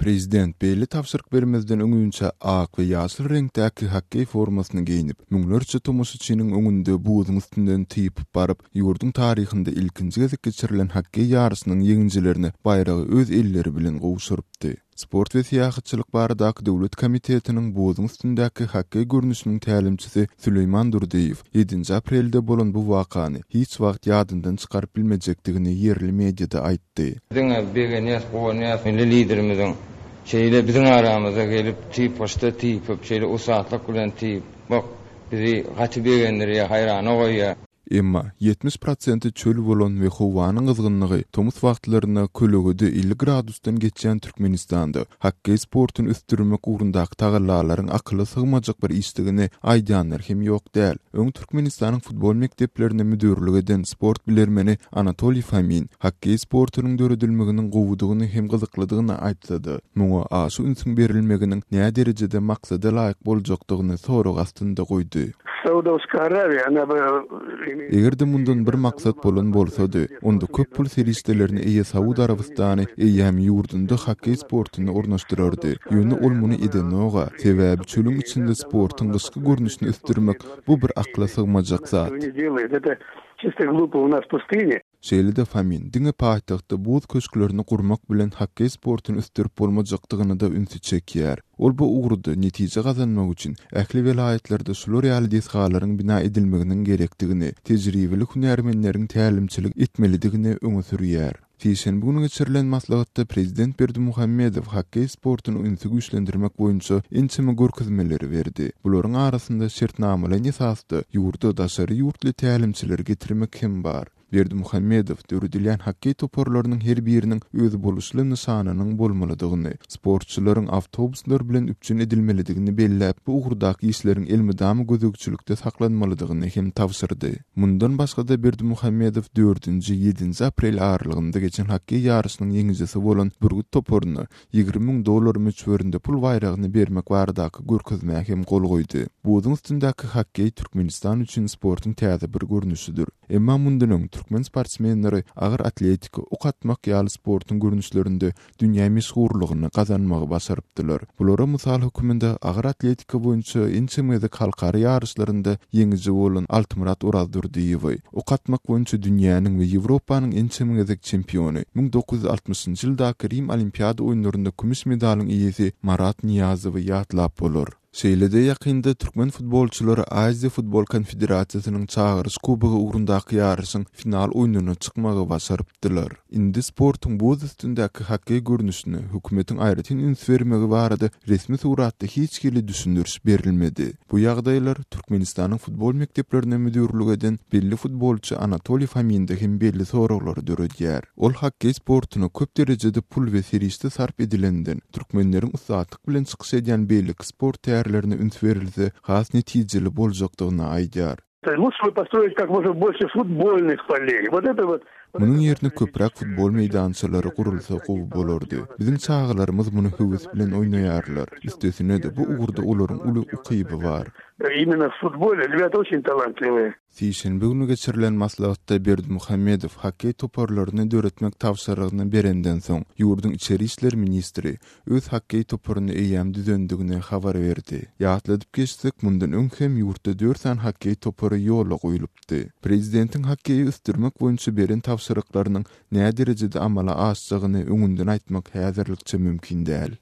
Prezident beýle tabşyryk bermezden öňünçä ak we ýaşyl reňkdäki hokkeý formasyny geýnip, müňlerçe tomaşaçynyň öňünde buzuň üstünden typyp baryp, ýurduň taryhynda ilkinji gezek geçirilen hokkeý ýaryşynyň ýeňijilerine baýragy öz elleri bilen gowşurypdy. Sport we syýahatçylyk baradaky döwlet komitetiniň buzuň üstündäki hokkeý görnüşiniň tälimçisi Süleýman Durdyýew ýedinji aprelde bolan bu wakany hiç wagt ýadyndan çykaryp bilmejekdigini ýerli mediada aýtdy. Diňe begenýäs, guwanýas Milli Liderimiziň şeýle biziň aramyza gelip, typgyçda typyp, şeýle ussatlyk bilen typmak bizi gaty begendirýär, haýrana goýýar. Emma, 70 prosenti çöl bolan we howanyň gyzgynlygy tomus wagtlarynda kölegede 50 gradusdan geçýän Türkmenistanda hokkeý sportuny ösdürmek ugrundaky tagallalaryň akyla sygmajak bir işdigini aýdýanlar hem ýok däl. Öň Türkmenistanyň futbol mekdeplerine müdirlik eden sport bilermeni Anatoliý Fomin hokkeý sportunyň döredilmeginiň gowudygyny hem gyzyklydygyny aýtsa-da, muňa aşa ünsüň berilmeginiň näderejede maksada laýyk boljakdygyny sorag astynda goýdy. Eger-de mundan bir maksat bolan bolsady, onda köp pul serişdelerine eýe Saud Arabystany eýýäm ýurdunda hokkeý sportuny ornaşdyrardy. Ýöne ol muny edenog-a. Sebäbi çölüň içinde sportuň gyşky görnüşini ösdürmek bu bir akla sygmajak zat. Şeýle-de Fomin diňe paýtagtda buz köşklerini gurmak bilen hokkeý sportuny ösdürip bolmajakdygyna-da ünsi çekýär. Ol bu ugurda netije gazanmak üçin ähli welaýatlarda şular ýaly desgalaryň bina edilmeginiň gerekdigini, tejribeli hünärmenleriň tälimçilik etmelidigini öňe sürýär. Sişenbe güni geçirilen maslahatda prezident Berdimuhamedow hokkeý sportuny ünsi güýçlendirmek boýunça ençeme görkezmeleri berdi. Bularyň arasynda şertnamalaýyn esasda ýurda daşary ýurtly tälimçileri getirmek hem bar. Berdimuhamedow döredilýän hokkeý toparlarynyň her biriniň özboluşly nyşanynyň bolmalydygyny, sportçylaryň awtobuslar bilen üpjün edilmelidigini belläp, bu ugurdaky işleriň elmydama gözegçilikde saklanmalydygyny hem tabşyrdy. Mundan başga-da Berdimuhamedow dördünji, ýedinji aprel aralygynda geçen hokkeý ýaryşynyň ýeňijisi bolan Bürgüt toparyna 20 000 dollar möçberinde pul baýragyny bermek baradaky görkezmä hem gol goýdy. Buzuň üstündäki hokkeý Türkmenistan üçin sportuň täze bir görnüşidir. Emma mundan öň türkmen sportsmenleri agyr atletika, ok atmak ýaly sportuň görnüşlerinde dünýä meşhurlygyny gazanmagy başarypdylar. Bulara mysal höküminde agyr atletika boýunça ençeme gezek halkara ýaryşlarynda ýeňiji bolan Altymyrat Orazdurdyýewi, ok atmak boýunça dünýäniň we Ýewropanyň ençeme gezek çempiony, 1960-njy ýyldaky Rim Olimpiada oýunlarynda kümüş medalyň eýesi Marat Nyýazowy ýatlap bolar. Şeýle-de ýakynda türkmen futbolçylary Aziýa futbol konfederasiýasynyň Çagyryş kubogy ugrundaky ýaryşyň final oýnuna çykmagy başarypdylar. Indi sportuň buz üstündäki hokkeý görnüşine hökümetiň aýratyn üns bermegi barada resmi suratda hiç hili düşündiriş berilmedi. Bu ýagdaýlar Türkmenistanyň futbol mekdeplerine müdirlik eden belli futbolçy Anatoliý Fominde hem belli soraglary döredýär. Ol hokkeý sportuna köp derejede pul we serişde sarp edilenden, türkmenleriň ussatlyk bilen çykyş edýän beýleki sport tärlerine üns berilse has netijeli boljakdygyny aýdýar. Munuň ýerine köpräk futbol meýdançalary gurulsa gowy bolardy. Biziň çagalarymyz muny höwes bilen oýnaýarlar. Üstesine-de, bu ugurda olaryň uly ukyby bar. Sişenbe güni geçirilen maslahatda Berdimuhamedow hokkeý toparlaryny döretmek tabşyrygyny berenden soň, ýurduň içeri işler ministri öz hokkeý toparyny eýýäm düzendigini habar berdi. Ýatladyp geçsek, mundan öň hem ýurtda dört sany hokkeý topary ýola goýlupdy. Prezidentiň hokkeýi ösdürmek boýunça beren tabşyryklarynyň näderejede amala aşjagyny öňünden aýtmak häzirlikçe mümkin däl.